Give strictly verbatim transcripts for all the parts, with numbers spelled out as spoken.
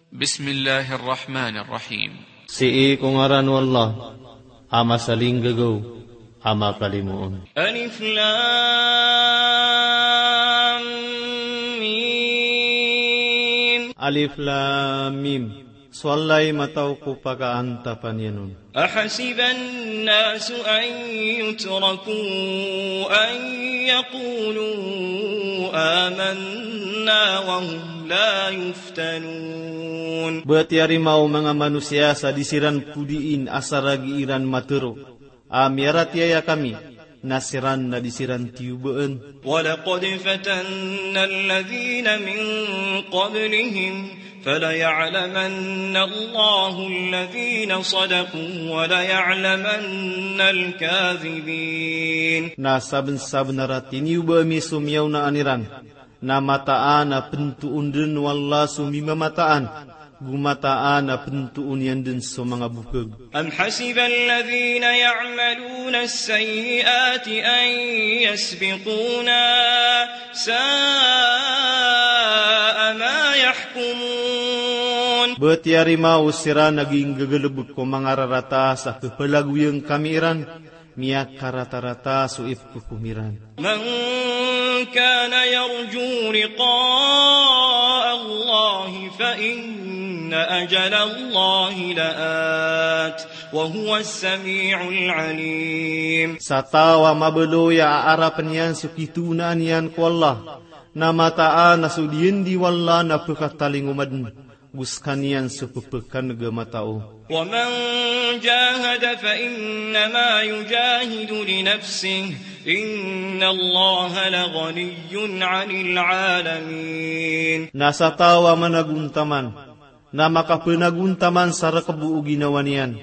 Bismillahir Rahmanir Rahim. Sii ko ngaran o Allah, a masalinggagaw, a makalimoon. Alif Lam Mim. Alif Lam Mim. So Allah i matao ko pakaantapan iyan on. Ahasiba an-nasu an yutraku an yaqulu amanna wa hum la yuftanun. Ba tiyarima o manga manosiya sa di siran podiin asar a gii ran matero a miyaratiyaya kami, na siran na di siran tiyobaan. Wa laqad fatanna alladhina min qablihim, falaya'lamanna Allahu alladhina sadaqu, wa laya'lamanna al-kadhibin. Na sabensabenar a tiniyoba ami so miyaonaan iran, na mataan a pentoon den o Allah so mimamataan, go mataan a pentoon iyan den so manga bokeg. Am hasiba alladhina ya'maluna as-sayyi'ati an yasbiquna, sa'a ma yahkumun. Ba tiyarima o siran a gii nggagalebek ko manga rarata sa kepelagoyan kami iran, miyakaratarata so ipekhokom iran. Man kana yarju liqa'a Allahi fa inna ajala Allahi la'at, wa huwa as-sami'ul alim. Sa taw a mabaloy a aarapen iyan so kitoonaan iyan ko Allah, na mataan a so diyandi o Allah na pekatalingoma den, go sekaniyan so pepekaneg a matao. Wa man jahada fa innama yujahidu li nafsihi, inna Allaha la ghaniyyun 'anil 'alamin. Na sa taw a managontaman, na makapenagontaman sa rekebo o ginawa niyan,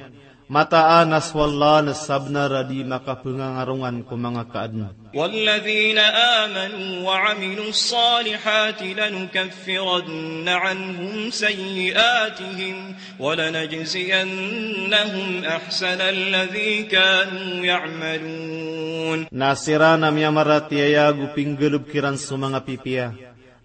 mataan a so Allah na sabenar a di makapengangarongan ko manga kaaden. Walladhina amanu wa 'amilus salihati lanukaffiranna 'anhum sayyi'atihim wa lanajziyannahum ahsanal ladhi kanu ya'malun. Na siran a miyamaratiyaya go pinggalebek iran so manga pipiya,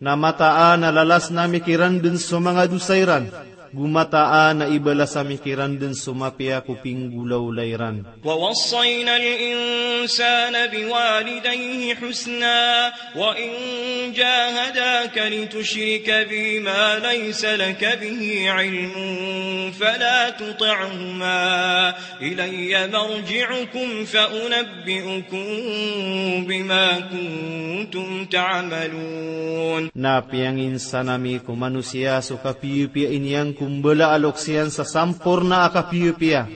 na mataan a lalasn ami kiran den so manga dosa iran, go mataan a ibalas ami kiran den so mapiya ko pinggolawla iran. Wa wassayna al-insana biwalidayhi husna, wa in jahadaka litushrika bi ma laysa laka bihi ilmun fala tuti'huma, ilayya marji'ukum fa unabbi'ukum bima kuntum ta'malun. Na piyanginsan ami ko manosiya so kapiyapiya i niyan ko mbala a loks iyan sa samporna a kapiyapiya.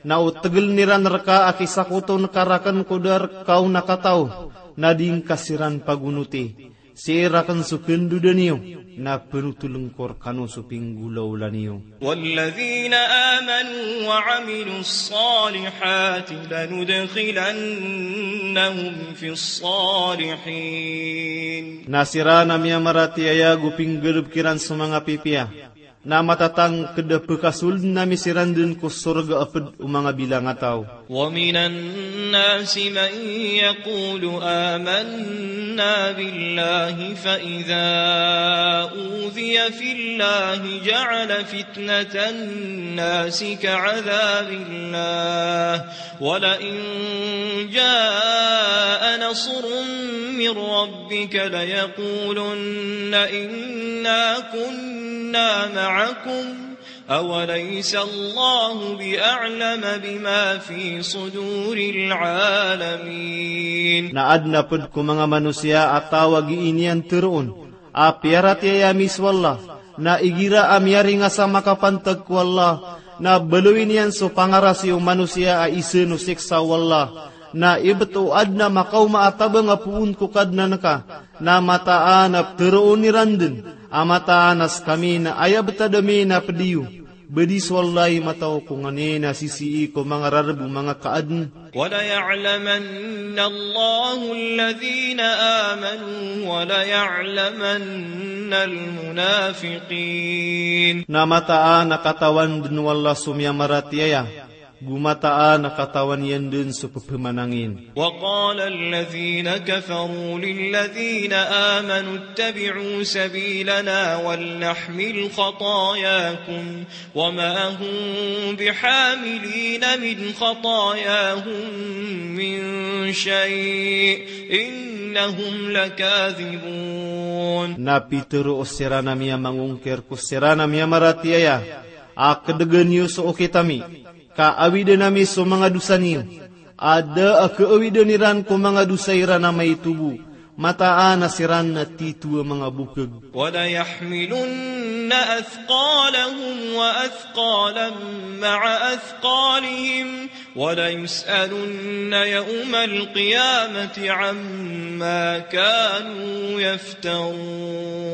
Na o tegelen iran reka a kisakoton ka raken ko da reka on a kataw, na di ngka siran pagonoti. Sii raken so kandoda niyo, na penotolen ko rekano so pinggolawla niyo. Walladhina amanu wa 'amilus salihati lanudkhilannahum fis salihin. Na siran a miyamaratiyaya go pinggalebek iran so manga pipiya, na matatangked a pekasolden ami siran den ko sorga a ped o manga bilangataw. Wa minan nasi man yaqulu amanna billahi fa idha udhiya fillahi ja'ala fitnatan nasi ka'adhabillah, wa la in ja'a nasrun min rabbika layaqulunna inna kunna ma'akum, awalaysa Allahu bi a'lama bima fi suduril alamin. Na aden a ped ko manga manosiya a taw a gii niyan teroon a piyaratiyaya ami so Allah, na igira a miyaringas a makapantag ko Allah, na baloy niyan so pangarasi o manosiya a isen o siksa o Allah, na ibet o aden a makaoma a tabang a poon ko Kadnan ka, na mataan a peteroon iran den a mataan a sekami na aya betad ami na ped iyo. Bedi so Allah i matao ko nganin a sisii ko manga rareb o manga kaaden. Wa laya'lamanna Allahu alladhina amanu wa laya'lamanna al-munafiqin. Na mataan a katawan den o Allah so miyamaratiyaya, Go mataan a katawan iyan dn so pphamanangin. وقال الذين كفروا للذين آمنوا اتبعوا سبيلنا ولنحمل خطاياكم وما هم بحاملين من خطاياهم من شيء إنهم لكاذبون. Na pitharo siran a miyamangongkir ko siran a miyamaratiyaya a kdgn iyo so okit ami, ka awidn ami so manga dosa niyo, a da a kaawidn iran ko manga dosa iran a maito bo, mataan a siran na tito a manga bokg. وليحملن أثقالهم وأثقالا مع أثقالهم وليسألن يوم القيامة عما كانوا يفترون.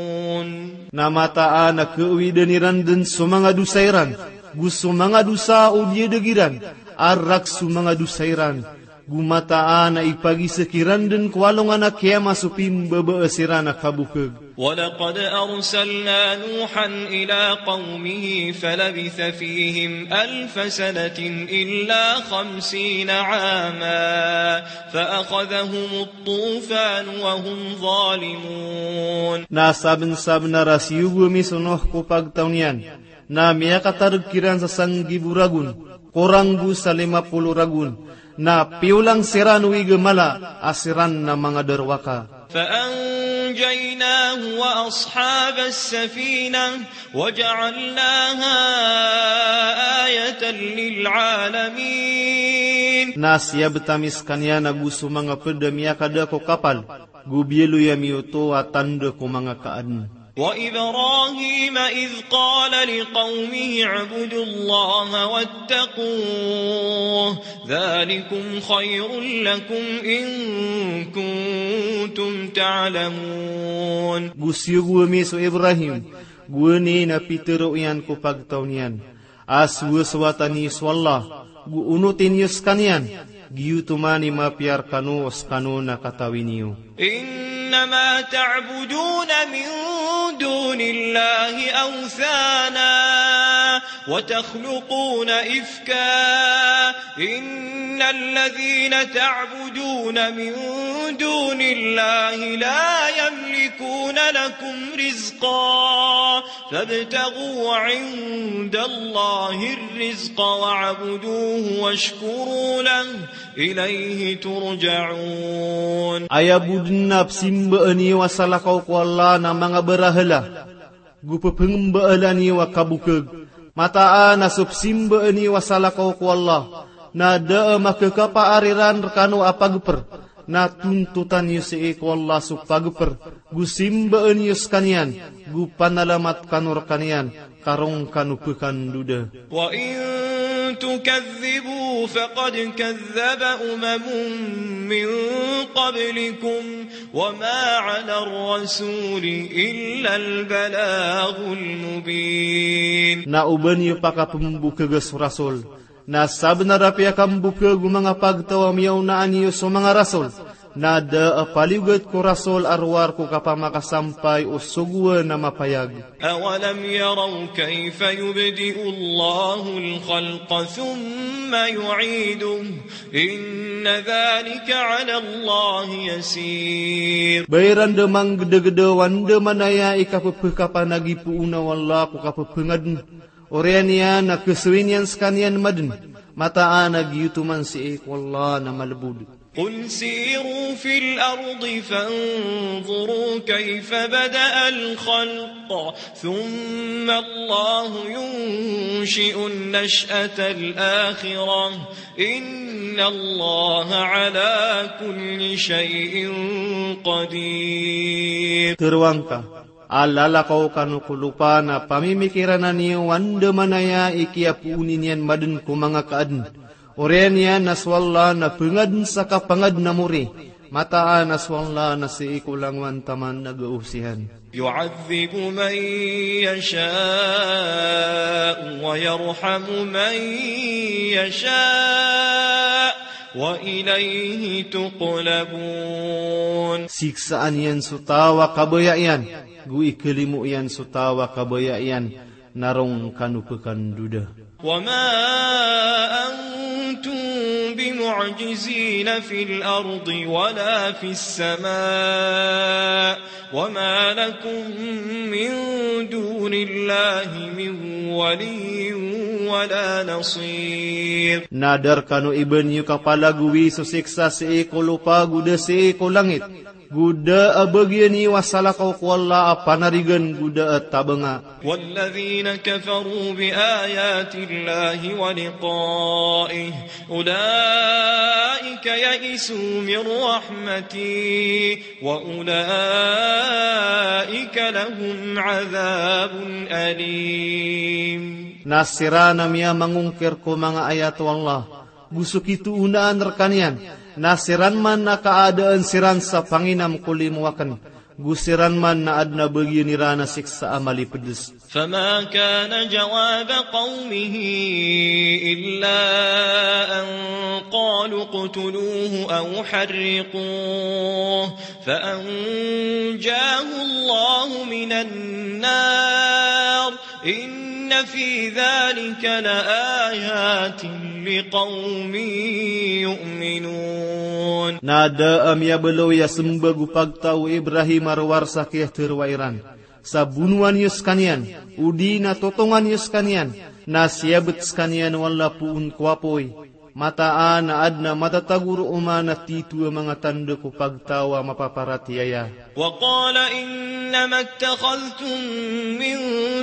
Na mataan a kaawidn iran dn so manga dosa iran, go so manga dosa o diyadg iran, a rk so manga dosa iran, go mataan a ipagiza kiran dn ko alongan a kiyama so pimbabaas iran a kabokg. ولقد أرسلنا نوحا إلى قومه فلبث فيهم ألف سنة إلا خمسين عاما فأخذهم الطوفان وهم ظالمون. Na sabnsabnar a siyogo ami so Nuh ko pagtaw niyan, na miyakatarg kiran sa sanggibo ragon, korang go sa lima polo ragon, na piyolang siran o igamala a siran na manga darowaka. فأنجيناه وأصحاب السفينة وجعلناها آية للعالمين. Na siyabt ami skaniyan ago so manga pd a miyakada ko kapal, go biyaloy ami oto a tanda ko manga kaadn. وإبراهيم إذ قال لقومه اعبدوا الله واتقوه ذلكم خير لكم إن كنتم تعلمون. Go siyogo ami so Ibrahim, go aya na pitharo iyan ko pagtaw niyan a sowasowatan iyo so Allah, go onotin iyo skaniyan, giyoto man i mapiya rkano o skano na katawi niyo. إنما تعبدون من دون الله أوثانا وتخلقون إفكا إن الذين تعبدون من دون الله لا يملكون لكم رزقا فابتغوا عند الله الرزق واعبدوه واشكروا له إليه ترجعون. Aya bo dn a psimbaan iyo a salakaw ko Allah na manga barahala, go pphangambaala niyo a kabokg. Mataan a so psimbaan iyo a salakaw ko Allah na da a makakapaar iran rkano a pagpr, na tontotan iyo sii ko Allah so pagpr, go simbaan iyo skaniyan, go panalamat kano rkaniyan, ka roo kano pkandoda. وإن تكذبوا فقد كذب أمم من قبلكم وما على الرسول إلا البلاغ المبين. Na oba niyo pakapmbokga so rasul, na sabnar a piyakambokg o manga pagtaw a miyaona niyo so manga rasul, na da a paliyogat ko rasul a rowar ko kapamakasampay o sogoan a mapayag. أولم يروا كيف يبدئ الله الخلق ثم يعيده إن ذلك على الله يسير. Ba iran da manggdagda o andamanaya i kappkapanagipoona o Allah ko kappangadn. Oriyan iyan na kasawi niyan skaniyan madn. Mataan a giyoto man sii ko Allah na malbod. قل سيروا في الأرض فانظروا كيف بدأ الخلق ثم الله ينشئ النشأة الآخرة إن الله على كل شيء قدير. Tharoang ka a lalakaw kano ko lopa na pamimikirana niyo o andamanaya i kiyapooni niyan madn ko manga kaadn. Oriyan iyan na so Allah na pangadn sa kapangadn a mori. Mataan a so Allah na sii ko langowan taman a gaosihan. يعذب من يشاء ويرحم من يشاء وإليه تقلبون. Siksaan iyan so taw a kabaya iyan, go ikalimo iyan so taw a kabaya iyan, na roo kano pkandoda. وما أن معجزين في الأرض ولا في السماء وما لكم من دون الله من ولي ولا نصير. Na da rkano i ba niyo kapalagowi so siksa sii ko lopa go da sii ko langit, go da a bagian iyo a salakaw ko Allah a panarigan go da a tabanga. والذين كفروا بآيات الله ولقائه أولئك يئسوا من رحمتي وأولئك لهم عذاب أليم. Na siran a miyamangongkir ko manga ayat o Allah, go so kitoonaan rkaniyan, na siran man na kaadaan siran sa panginam ko limo aken, go siran man na aden a bagian iran a siksa a malipds. فما كان جواب قومه إلا أن قالوا اقتلوه أو حرقوه فأنجاه الله من النار إن في ذلك لآيات لقوم يؤمنون. Na da a miyabaloy a sembag o pagtaw o Ibrahim a rowar sa kiyatharo iran. Sa bonowan iyo skaniyan, odi na totongan iyo skaniyan, na siyabet skaniyan o Allah poon ko apoy. Mataan a aden a matatago roo man a tito a manga tanda ko pagtaw a mapaparatiyaya. وقال إنما اتخذتم من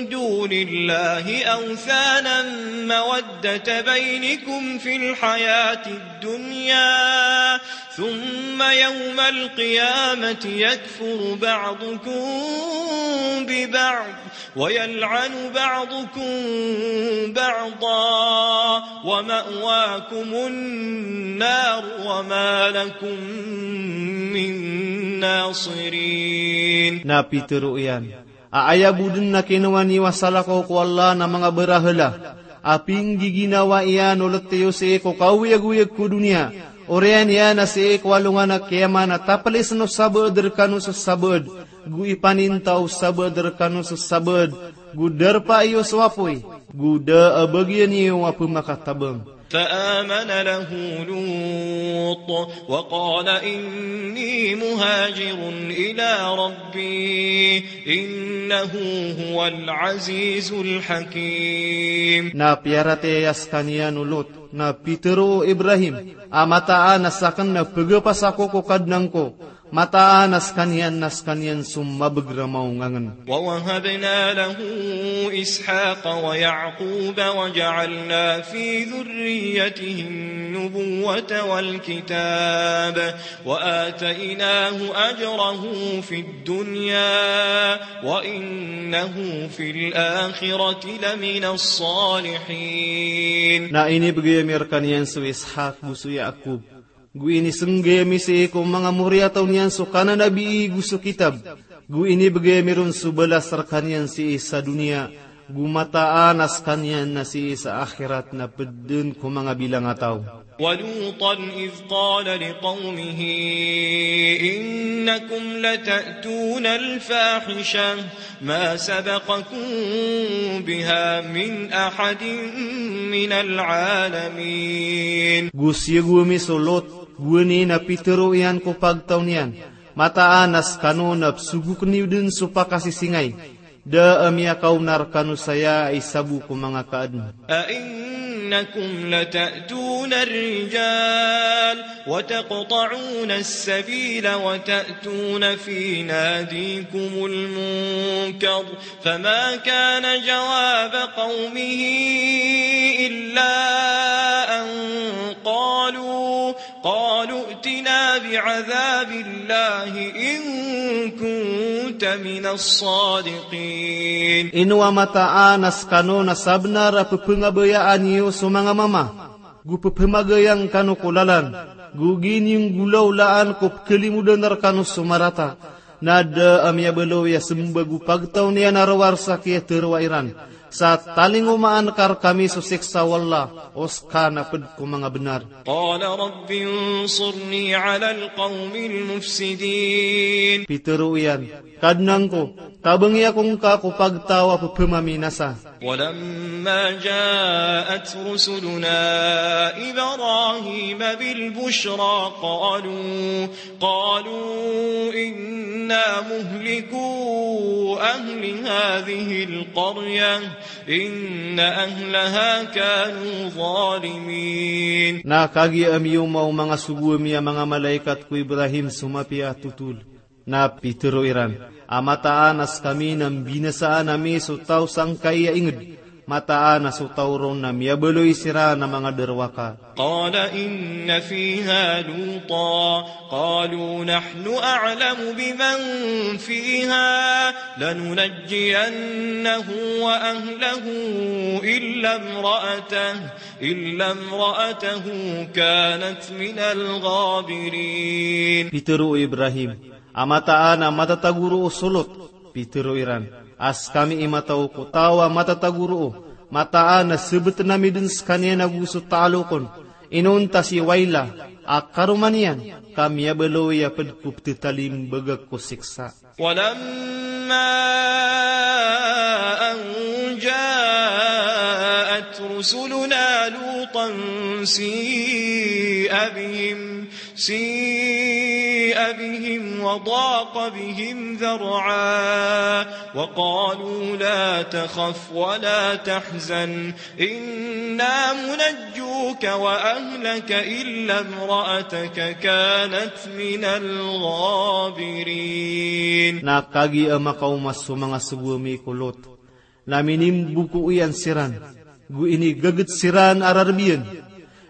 دون الله أوثانا مودة بينكم في الحياة الدنيا ثم يوم القيامة يكفر بعضكم ببعض ويلعن بعضكم بعضا ومأواكم النار وما لكم من ناصرين. Na pitharo iyan a aya bo den a kinowa niyo a salakaw ko Allah na manga barahala a pinggiginawa iyan o let iyo sii ko kaoyagoyag ko doniya, oriyan iyan a sii ko alongan a kiyamat na taplisen o sabaad rekano so sabaad, go ipaninta o sabaad rekano so sabaad, go darpa iyo so apoy, go da a bagian iyo a pemakatabang. فآمن له لوط وقال إني مهاجر إلى ربي إنه هو العزيز الحكيم. Na piyaratiyaya skaniyan o Lot, na pitharo o Ibrahim a mataan a saken na pegapas ako ko Kadnan ko, mataan a skaniyan na skaniyan so mabeg a maongangen. ووهبنا له إسحاق ويعقوب وجعلنا في ذريته النبوة والكتاب وآتيناه أجره في الدنيا وإنه في الآخرة لمن الصالحين. Na inibegay ami rekaniyan so Ishak go so Yaqub, go inisenggay ami sii ko manga moriyataw niyan so kananabii go so kitab, go inibegay ami ron so balas rekaniyan sii sa doniya, go mataan a skaniyan na sii sa akhirat na ped den ko manga bilang a taw. ولوطا إذ قال لقومه إنكم لتأتون الفاحشة ما سبقكم بها من أحد من العالمين. Go siyogo ami so Lot, gowani na pitharo iyan ko pagtaw niyan, mataan a skano na pesogoken iyo den so pakasisingay, da a miyakaona rekano saya a isa bo ko manga kaaden. أئنكم لتأتون الرجال وتقطعون السبيل وتأتون في ناديكم المنكر فما كان جواب قومه إلا أن قالوا قالوا ائتنا بعذاب الله إن كنت من الصادقين. Ino a mataan a skano na sabenar a pepengabayaan iyo so manga mama, go pepemagayang kano ko lalan, go giniyanggolawlaan ko pekelimodan rekano so marata. Na da a miyabaloy a sembag o pagtaw niyan a rowar sa kiyatharo iran. Sa talingomaan ka rkami so siksa o Allah, o ska na pd ko manga bnar. قال رب انصرني على القوم المفسدين. Pitharo iyan, Kadnan ko, tabangi ako ngka ko pagtaw a ppmaminasa. ولما جاءت رسلنا إبراهيم بالبشرى قالوا، قالوا إنا مهلكو أهل هذه القرية إن أهلها كانوا ظالمين. Na kagiya amiyoma o manga sogo ami a manga malaikat ko Ibrahim so mapiya a thotol. Na pitharo iran a mataan a skami na mbinasaan ami so taw sangkai a ingd, mataan a so taw ron na miyabaloy siran a manga darowaka. قال إن فيها لوطا قالوا نحن أعلم بمن فيها لننجينه وأهله إلا امرأته إلا امرأته كانت من الغابرين. Pitharo o Ibrahim a mataan a matatago roo so Lot. Pitharo iran a skami i mataw ko taw a matatago roo, mataan a sbtn ami dn skaniyan ago so talok on, inonta si Waila a karoma niyan, ka miyabaloy a pd ko pthatalmbagak ko siksa. ولما أن جاءت رسلنا لوطا سيء بهم، سيء بهم وضاق بهم ذرعا وقالوا لا تخف ولا تحزن إنا منجوك وأهلك إلا امرأتك كانت من الغابرين. Na kagiya makaoma so manga sogo ami ko Lot, na minimbuko iyan siran, go inigagd siran a rarb iyan.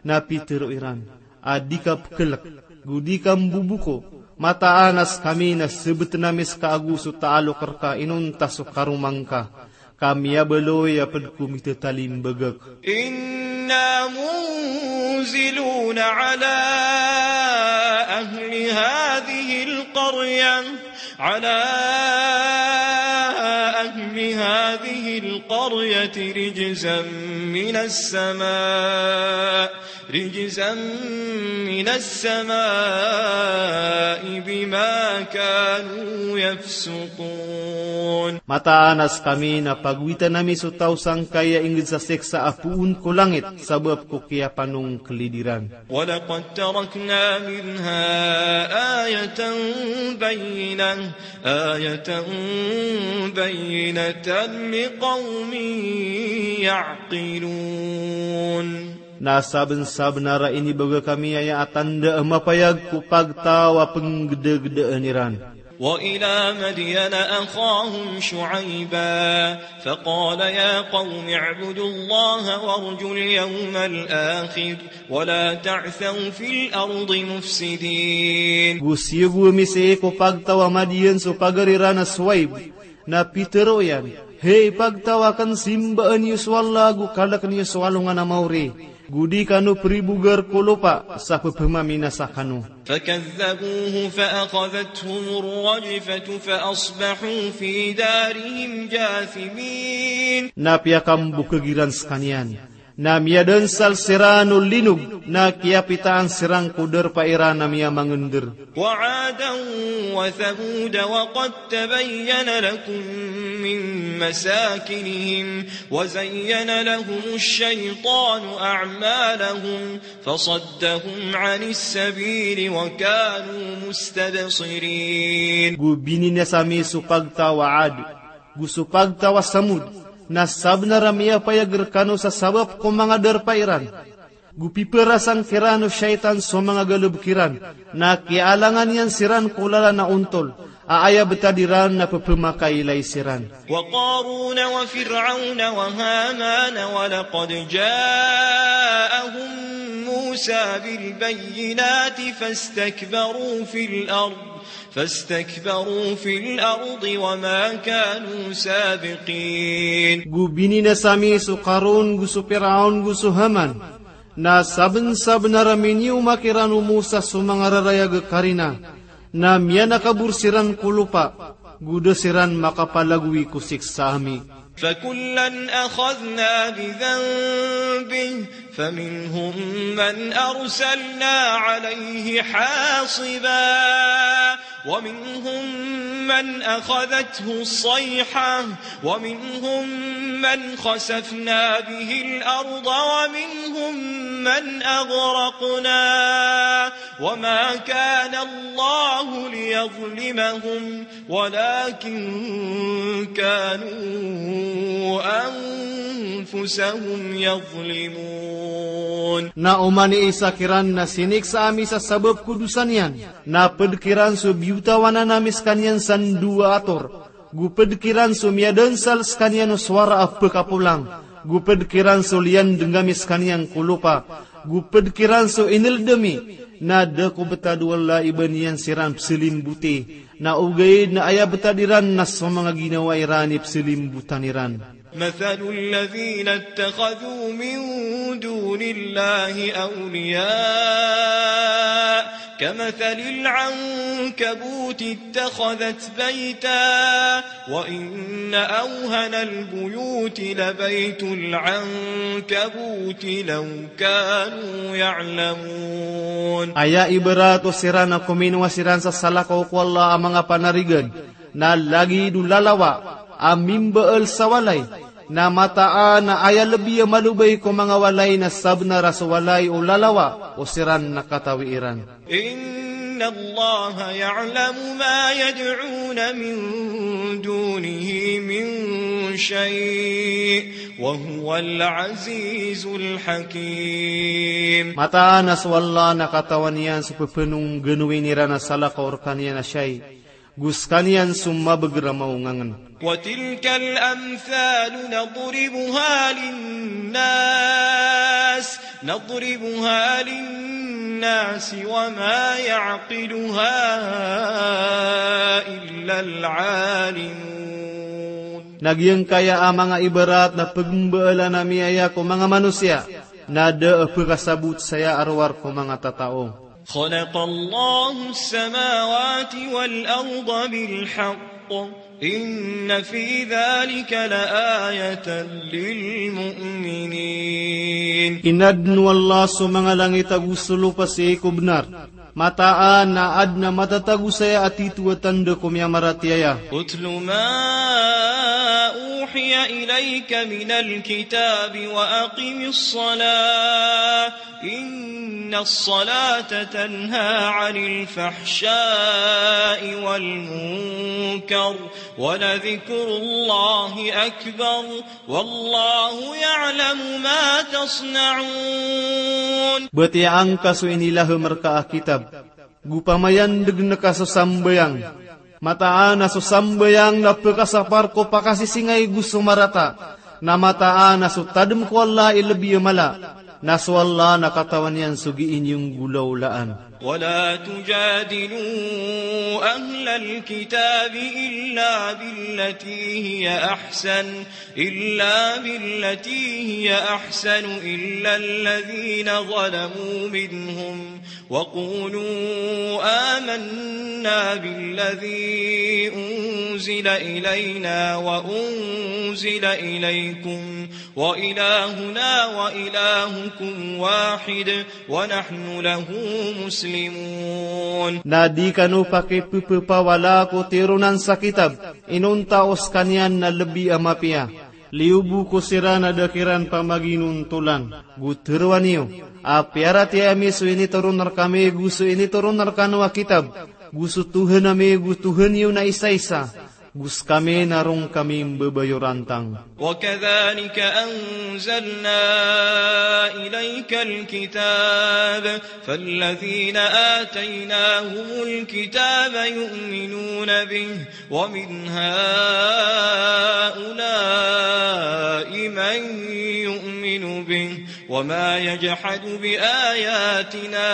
Na pitharo iran a di ka pkhlk, go di ka mboboko, mataan a skami na sbtn ami ska ago so talok rka inonta so karoma ngka, ka miyabaloy a pd ko mithatalimbagak. إنا منزلون على أهل هذه القرية، على أهل هذه القرية رجزا من السماء، رجزا من السماء بما كانوا يفسقون. Mataan a skami na pagowitan ami so taw sangkai a ingd sa siksa a poon ko langit sabap ko kiyapanongklid iran. ولقد تركنا منها آية بينة، آية بينة لقوم يعقلون. Na sabnsabnar a inibagak ami aya a tanda a mapayag ko pagtaw a pnggdagdaan iran. وإلى مدين أخاهم شعيبا فقال يا قوم اعبدوا الله وارجوا اليوم الآخر ولا تعثوا في الأرض مفسدين. Go siyogo ami sii ko pagtaw a Madiyan so pagari ran a Shuaib, na pitharo iyan, "Hay pagtaw akn, simbaa niyo so Allah ago kalk niyo so alongan a maori, go di kano pribogar ko lopa sa ppmaminasa kano." فكذبوه فأخذتهم الرجفة فأصبحوا في دارهم جاثمين. Na piyakambokag iran skaniyan, na miyadansal siran o linog, na kiyapitaan siran ko darpa iran a miyamangndr. وعادا وثمود وقد تبين لكم من مساكنهم وزين لهم الشيطان أعمالهم فصدهم عن السبيل وكانوا مستبصرين. Go bininasa ami so pagtaw a Ad, go so pagtaw a Samud, na sabnar a miyapayag rkano sa sabap ko manga darpa iran. Go piparasang kiran o shaytan so manga galbk iran, na kiyaalangan iyan siran ko lalan a ontol, a aya btad iran na pphamakailay siran. وقارون وفرعون وهامان ولقد جاءهم موسى بالبينات فاستكبروا في الأرض، فاستكبروا في الأرض وما كانوا سابقين. Go bininasa ami so Qarun, go so Firaun, go so Haman. Na sabnsabnar a miniyomak iran o Musa so manga rarayag a karina, na miyanakabor siran ko lopa, go da siran makapalagoy ko siksa ami. فكلا أخذنا بذنبه فمنهم من أرسلنا عليه حاصبا ومنهم من أخذته الصيحة ومنهم من خسفنا به الأرض ومنهم من أغرقنا وما كان الله ليظلمهم ولكن كانوا أنفسهم يظلمون. Na oman i isa kiran na siniksa ami sa sabap ko dosa niyan, na pd kiran so biyotawanan ami skaniyan san dowa a tor, go pd kiran so miyadansal skaniyan o sowara a pkapolang, go pd kiran so liyandng ami skaniyan ko lopa, go pd kiran so inld ami, na da ko btad o Allah i ba niyan siran pzalimboti, na ogaid na aya btad iran na so manga ginawa iran i pzalimbotan iran. مثل الذين اتخذوا من دون الله أولياء كمثل العنكبوت اتخذت بيتا وإن أوهن البيوت لبيت العنكبوت لو كانوا يعلمون. Aya ibarat o siran a kominowa siran sa salakaw ko Allah a manga panarigan, na lagid o lalawa a mimbaal sa walay, na mataan a aya lbi a malobay ko manga walay na sabnar a so walay o lalawa o siran na katawi iran. إن الله يعلم ما يدعون من دونه من شيء وهو العزيز الحكيم. Mataan a so Allah na katawan iyan so pphanongganowi iran a salakaw rkaniyan a shay, go skaniyan so mabagr a maongangn. وتلك الأمثال نضربها للناس، نضربها للناس وما يعقلها إلا العالمون. Na giyangkaya a manga ibarat na pgmbaalan ami aya ko manga manosiya, na da a pkasabot saya a rowar ko manga tatao. خلق الله السماوات والأرض بالحق إن في ذلك لآية للمؤمنين. Inadn o Allah so manga langit ago so lopa sii ko bnar. Mataan a adn a matatago saya a tito a tanda ko miyamaratiyaya. اتل ما أوحي إليك من الكتاب وأقم الصلاة إن الصلاة تنهى عن الفحشاء والمنكر ولذكر الله أكبر والله يعلم ما تصنعون. Batiyaa ngka so inilahm rka a kitab, go pamayandgn ka so sambayang. Mataan a so sambayang na pkasapar ko pakasisingay go so marata. Na mataan a so tadm ko Allah i lbi a mala. Na so Allah na katawan iyan so gii niyo nggolawlaan. ولا تجادلوا أهل الكتاب إلا بالتي هي أحسن، إلا بالتي هي أحسن إلا الذين ظلموا منهم وقولوا آمنا بالذي أنزل إلينا وأنزل إليكم وإلهنا وإلهكم واحد ونحن له مسلمون. Na di kano pakippapawala ko tironan sa kitab, inonta o skaniyan na lbi a mapiya. Liyo bo ko siran a da kiran pamaginontolan, go tharoa niyo a piyaratiyaya mi so initoron rkami go so initoron rkano a kitab, go so Tohan ami go Tohan iyo na isaisa, go skami na roo kami mbabayorantang. وكذلك أنزلنا إليك الكتاب فالذين آتيناهم الكتاب يؤمنون به ومن هؤلاء من يؤمن به وما يجحد بآياتنا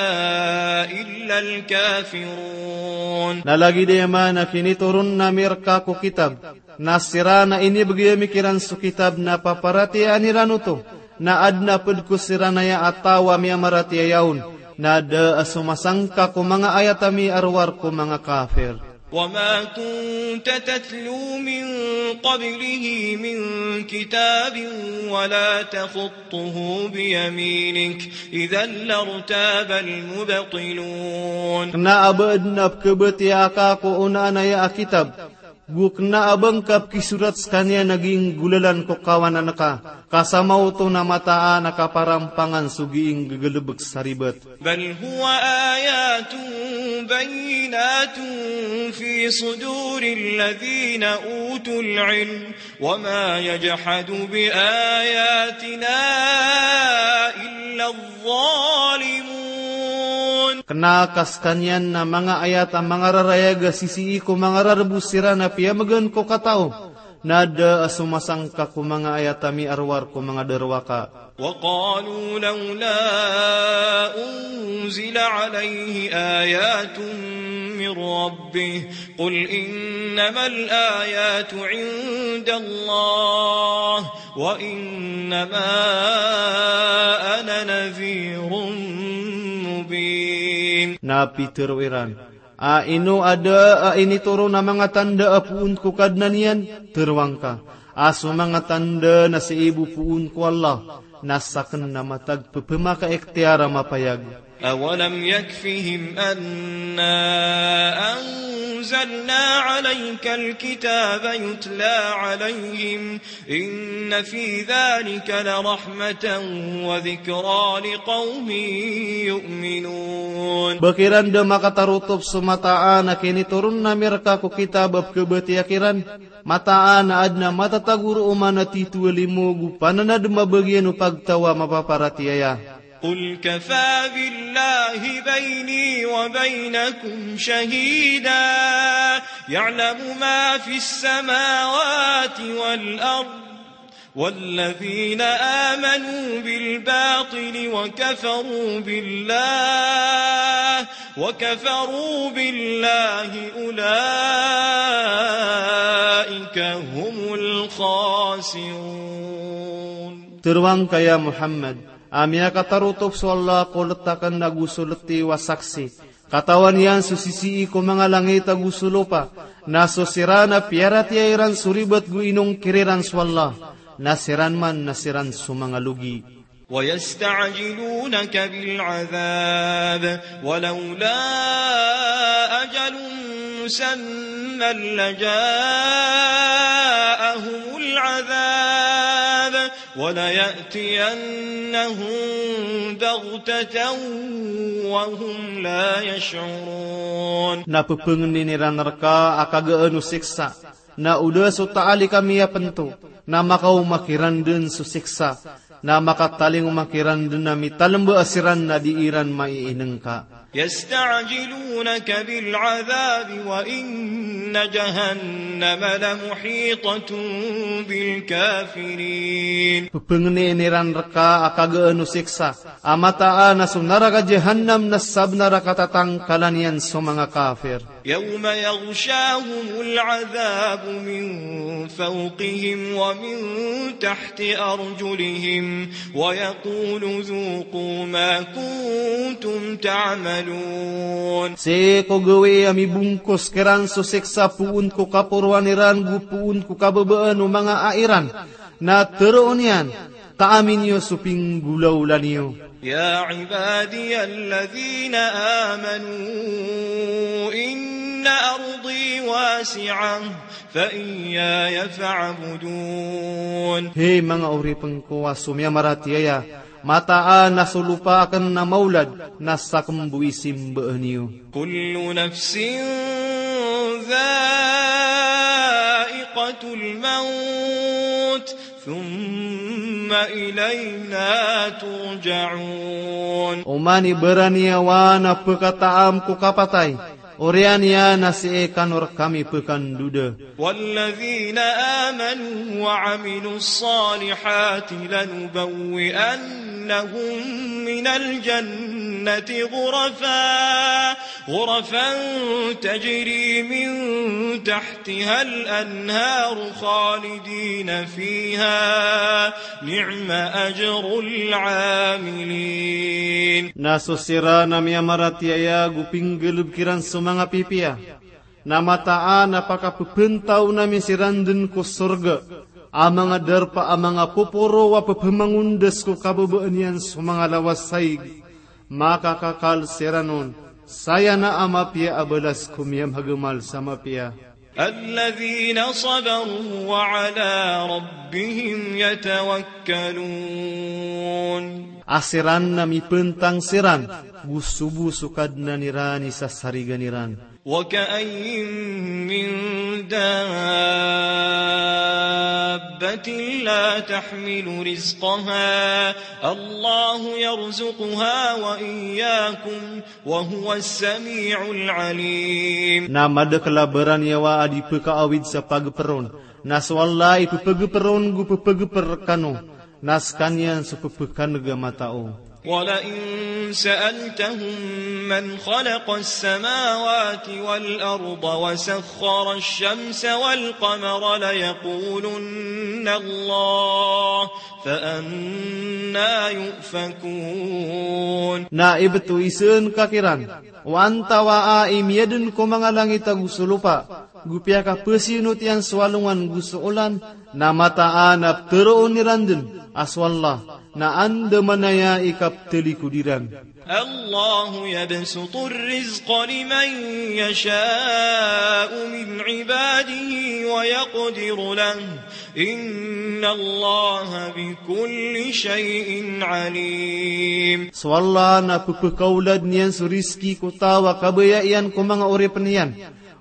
إلا الكافرون. Na lagid iyan a kinitoron ami rka ko kitab, na siran a inibgay ami kiran so kitab na paparatiyayaan iran oto, na adn a pd ko siran aya a taw a miyamaratiyaya on, na da a somasangka ko manga ayat ami a rowar ko manga kafir. وما كنت تتلو من قبله من كتاب ولا تخطه بيمينك إذا لارتاب المبطلون. Kna a ba adn a pkhabatiyaa ka ko onaan aya a kitab, go kna a ba ngka pkisorat skaniyan a ginggolalan ko kawanan ka, ka sa maoto na mataan a kaparampangan so gii ngggalbk sa ribat. بل هو آيات بينات في صدور الذين أوتوا العلم وما يجحد بآياتنا إلا الظالمون. Kna ka skaniyan na manga ayat a mangararayag a sisii ko manga rarbo siran a piyamgan ko katao, na da a somasangka ko manga ayat a miarowar ko manga darowaka. وقالوا لولا أنزل عليه آيات من ربه قل إنما الآيات عند الله وإنما أنا نذير مبين. Na pitharo iran, a ino a da a initoron a manga tanda a poon ko Kadnan iyan? Tharoang ka a so manga tanda na sii bo poon ko Allah na sakn a matag pphmakaikhtiyar a mapayag. أولم يكفهم أنا أنزلنا عليك الكتاب يتلى عليهم إن في ذلك لرحمة وذكرى لقوم يؤمنون. Ba kiran da makatarotop so mataan a kinitoron ami rka ko kitab a pkhabatiya kiran, mataan a adn a matatago roo man a titho a limo go pananadm a bagian o pagtaw a mapaparatiyaya. قل كفى بالله بيني وبينكم شهيدا يعلم ما في السماوات والأرض والذين آمنوا بالباطل وكفروا بالله وكفروا بالله أولئك هم الخاسرون. Tharoang ka ya Muhammad, a miyakatarotop so Allah ko let akn ago so letiw a saksi. Katawan iyan so sisii ko manga langit ago so lopa, na so siran a piyaratiyaya iran so ribat go inongkir iran so Allah, na siran man na siran so manga logi. ويستعجلونك بالعذاب ولولا أجل مسمى لجاءهم العذاب وليأتينهم بغتة وهم لا يشعرون. Na pphangnin iran rka a kagaan o siksa, na o da so taali kami a pnto, na makaoma kiran dn so siksa, na makatalingoma kiran dn a mitalmba siran na di iran maiinngka. يستعجلونك بالعذاب وإن جهنم لمحيطة بالكافرين. Pphangnin iran rka a kagaan o siksa, a mataan a so naraka Jahannam na sabnar a katatangkalan iyan so manga kafir. يوم يغشاهم العذاب من فوقهم ومن تحت أرجلهم ويقول ذوقوا ما كنتم تعملون. Sii ko gawii a mibongkos kiran so siksa poon ko kaporoan iran go poon ko kababaan o manga ai ran, na tharoon iyan, taami niyo so pinggolawla niyo. يا عبادي الذين آمنوا إن أرضي واسعة فإياي فاعبدون. Hay manga oripn ko a so miyamaratiyaya, mataan a so lopa akn na maolad, na sakn bo i simbaan iyo. كل نفس ذائقة الموت ثم إلينا ترجعون. Oman i baraniyawa na pkhataam ko kapatay, oriyan iyan na sii kano rkami pkhandoda. والذين آمنوا وعملوا الصالحات لنبوئنهم من الجنة غرفا، غرفا تجري من تحتها الأنهار خالدين فيها، نعم أجر العاملين. Na so siran a miyamaratiyaya go pinggalbk iran so manga pipiya, Na mataan a pakapepentaw ami siran den ko sorga a manga darpa a manga poporo a pepemangondas ko kababaan iyan so manga lawas saig. Makakakal siran on, saya na a mapiya a balas ko miyamagamal sa mapiya. الذين صبروا وعلى ربهم يتوكلون. A siran na mipentang siran go so bo so Kadnan iran i sasarigan iran. وكأين من دابة لا تحمل رزقها الله يرزقها وإياكم وهو السميع العليم. Na madakl a baraniyawa a di pekaawid sa pageper on, na so Allah i pepegeper on go pepegeper rekano, na sekaniyan so pepekaneg a matao. ولئن سألتهم من خلق السماوات والأرض وسخر الشمس والقمر ليقولن الله فأنى يؤفكون. Na ibt o iseen ka kiran, o antawaa i miyaden ko manga langit ago so lopa, go piyakapesiyonotiyan so alongan go so olan, na mataan a pteroon iran den a so Allah na andamanaya i kaptelikod iran. الله يبسط الرزق لمن يشاء من عباده ويقدر له إن الله بكل شيء عليم. So Allah na pepekaoladen iyan so rizki ko taw a kabaya iyan ko manga oripen iyan,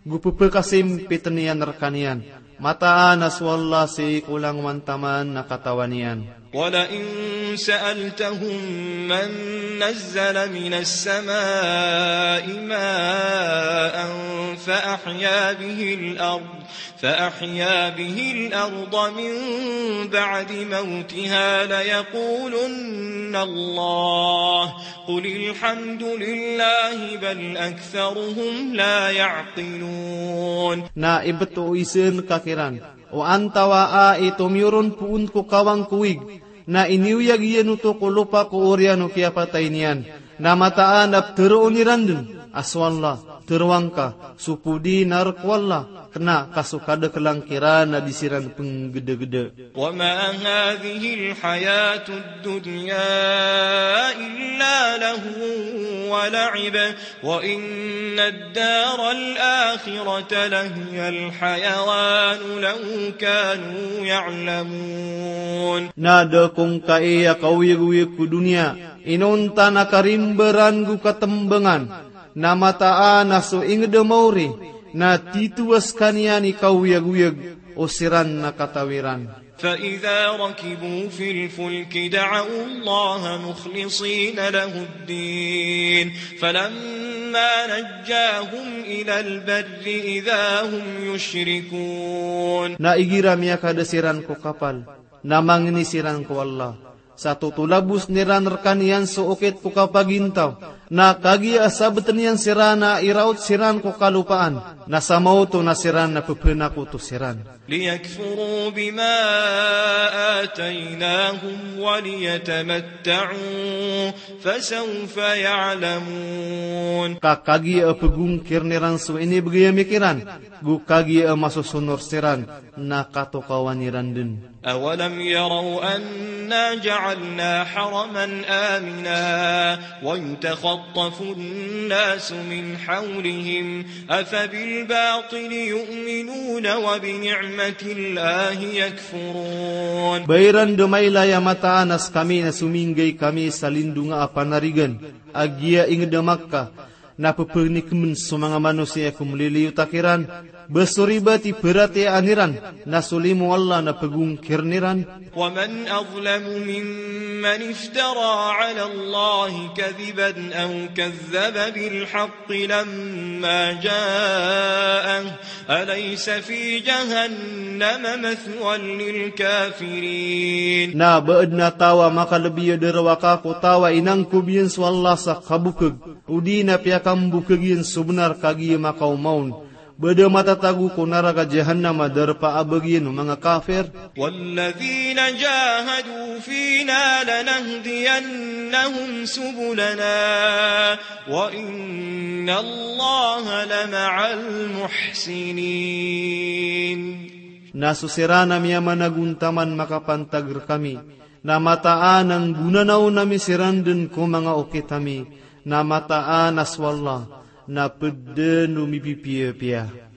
go pepekasimpiten iyan rekaniyan. Mataan a so Allah sii ko langowan taman na katawan iyan. ولئن سألتهم من نزل من السماء ماء فأحيا به الأرض فأحيا به الأرض من بعد موتها ليقولن الله قل الحمد لله بل أكثرهم لا يعقلون. Na ibt o iseen ka kiran, o antawaa i tomiyoron poon ko kawang ko wig, na iniyoyag iyan oto ko lopa ko oriyan o kiyapatay niyan, na mataan a pteroon iran den a so Allah, teroa ngka, so podi na rk o Allah, kena ka so kadaklan kiran a di siran penggedegede. وما هذه الحياة الدنيا إلا لهو ولعب وإن الدار الآخرة لهي الحيوان لو كانوا يعلمون. Na da ko ngkai a kaoyagoyag ko doniya inonta na karimbaran go katembangan, na mataan a so inged a maori na titowa sekaniyan i kaoyagoyag o siran na kataw iran. فإذا ركبوا في الفلك دعوا الله مخلصين له الدين فلما نجاهم إلى البر إذا هم يشركون. Na igira miyakada siran ko kapal, na mangni siran ko Allah, sa totolabosen iran rekaniyan so okit ko kapagintaw, na kagiya a sabeten iyan siran a iraot siran ko kalopaan, na sa maoto na siran na pepenakoto siran. ليكفروا بما آتيناهم وليتمتعوا فسوف يعلمون. Ka kagiya a pegongkiren iran so inibegay ami kiran, go kagiya a masosonor siran, na katokawan iran den. أولم يروا أنا جعلنا حرما آمنا ويتخطف الناس من حولهم أفبالباطل يؤمنون وبنعمة الله يكفرون. Ba iran da mailay a mataan a sekami na sominggay kami sa lindonga a panarigan a giya inged a Makkah, na pepenikemen so manga manosiya ko meliliyot a kiran, ba so ribat i peratiyayaan iran na so limo o Allah na pegongkiren iran. ومن أظلم ممن افترى على الله كذبا أو كذب بالحق لما جاءه أليس في جهنم مثوى للكافرين. Na ba aden a taw a makalebi a darowaka ko taw a inangkob iyan so Allah sa kabokeg, odi na piyakambokeg iyan so benar kagiya makaoma on. Ba da matatago ko naraka jahannam a darpa a bagian o manga kafir. والذين جاهدوا فينا لنهدينهم سبلنا وإن الله لمع المحسنين. Na so siran a miyamanagontaman makapantag rkami, na mataan a nggonanaon ami siran dn ko manga okit ami, na mataan a so Allah na pd dn o mipipiyapiya.